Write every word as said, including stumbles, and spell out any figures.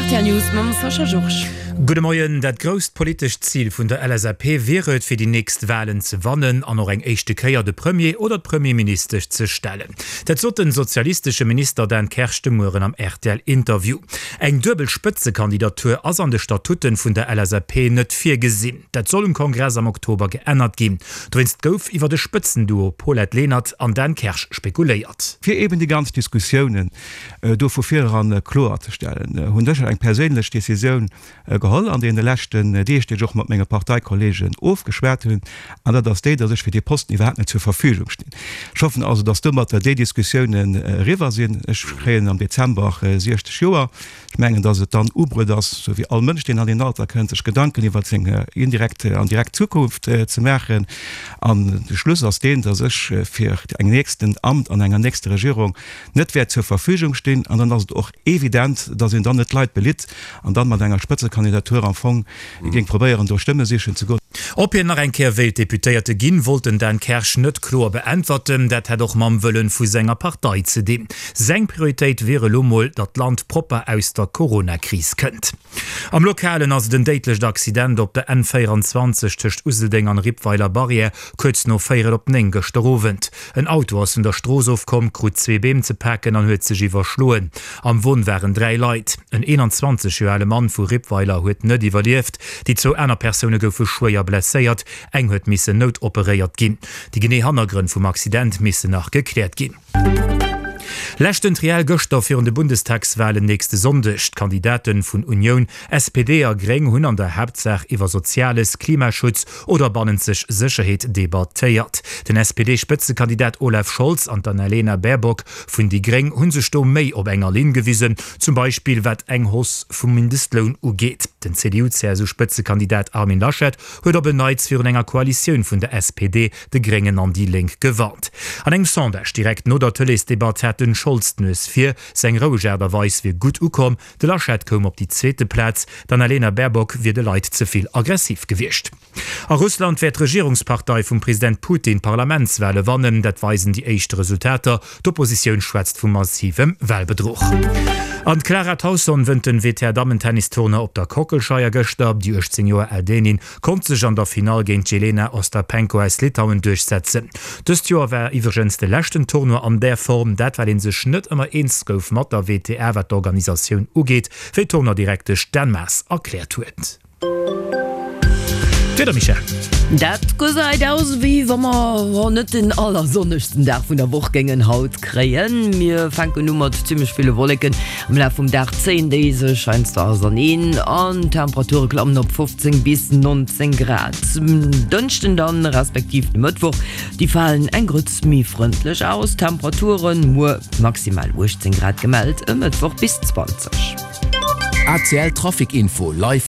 D'R T L News mam Sascha Georges. Gudde Moien. Dat grousst politescht Zil vun der L S A P wier et, fir déi nächst Walen ze wannen an och eng éischte Kéier de Premier oder d'Premierministesch ze stellen. Dat sot den sozialistesche Minister Dan Kersch de Mueren am R T L-Interview. Eng duebel Spëtzekandidatur ass an de Statuten vun der L S A P net virgesinn. Dat soll um Kongress am Oktober geännert ginn. Dowéinst gouf iwwer de Spëtzenduo Paulette Lenert an Dan Kersch spekuléiert. Fir eben déi ganz Diskussiounen do vu vireran kloer ze stellen, hunn ech eng perséinlech Decisioun geholl an deene leschten Deeg, déi ech och mat menge Parteikolleegen ofgeschwat hunn, an dat ass déi, datt ech fir dee Posten iwwerhaapt net zur Verfügung stinn. Ech hoffen also, datt domatter déi Diskussiounen eriwwer sinn. Ech kréien am Dezember siechzeg Joer. Ech mengen, datt et dann ubruet ass, sou wéi all Mënsch, deen an deen Alter kënnt, sech Gedanken iwwert seng indirekt an direkt Zukunft ze maachen. An de Schluss ass deen, datt ech fir eng nächsten Amt an enger nächster Regierung net wäert zur Verfügung stinn. An dann ass et och evident, datt een dann net d'Leit belitt an dann mat enger Spëtzekandidatur am Fong géing probéieren, do Stëmme sichen ze goen. Ob hien nach eng Kéier wéilt Deputéierte ginn, wollt den Dan Kersch net kloer beäntwerten. Dat hätt och mam Wëllen vu senger Partei ze dinn. Seng Prioritéit wier elo mol, datt d'Land propper aus der Corona-Kris kënnt. Am Lokalen ass et en déidlecht Accident op der N véierenzwanzeg tëscht Useldeng an Rippweiler Barrière, kuerz no véierel op néng gëschter Owend. En Auto ass vun der Strooss ofkomm, krut zwee Beem ze paken an huet sech iwwerschloen. Am Won waren dräi Leit. En eenanzwanzeg Joer ale Mann vu Rippweiler huet net iwwerlieft. Déi zwou aner Persoune goufe schwéier blesséiert, eng huet missen noutoperéiert ginn. Déi genee Hannergrënn vum Accident missen nach gekläert ginn. Leschten Triell gëschter virun de Bundestagswalen nächste Sonndeg. D'Kandidaten vun Unioun, S P D a Gréng hunn an der Haaptsaach iwwer Soziales, Klimaschutz oder bannenzeg Sécherheet debattéiert. Den S P D-Spëtzekandidat Olaf Scholz an d'Annalena Baerbock vun déi Gréng hu sech do méi op enger Linn gewisen, zum Beispill wat eng Hausse vum Mindestloun ugeet. Den C D U-C S U-Spëtzekandidat Armin Laschet huet op en Neits virun enger Koalitioun vun der S P D, de Gréngen an déi Lénk gewarnt. An engem Sondage direkt no der Tëleesdebatt hat den Scholz d'Nues vir, seng roueg Aart a Weis wier gutt ukomm. De Laschet koum op déi zweete Plaz, d'Annalena Baerbock wier de Leit ze vill aggressiv gewiescht. A Russland wäert d'Regierungspartei vum President Putin d'Parlamentswale wannen, dat weisen déi éischt Resultater. D'Oppositioun schwätzt vu massivem Walbedruch. An d'Clara Tauson wënnt den W T A-Dammen-Tennis-Tournoi op der Kockelscheier gëschter. Déi uechtzéng Joer al Dänin konnt sech an der Finall géint d'Jelena Ostapenko aus Litauen duerchsetzen. Dëst Joer war iwwregens de leschten Tournoi an där Form, dat well ee sech net ëmmer eens gouf mat der W T A wat d'Organisatioun ugeet, wéi d'Tournoi-Direktesch Dan Maas erkläert huet. D'Wieder, Michèle. Dat gesäit aus wéi wa mer net den allersonnegsten Dag vun der Woch géingen haut kréien. Mir fänken u mat zimmlech ville Wolleken. Am Laf vum Dag zéien déi sech heiansdo auserneen an d'Temperature klammen op fofzéng bis nonzéng Grad. Dënschden dann, respektiv de Mëttwoch, déi falen eng Grëtz méi frëndlech aus. Temperaturen, muer maximal uechtzéng Grad gemellt, e Mëttwoch bis zwanzeg. A C L Trafic Info live.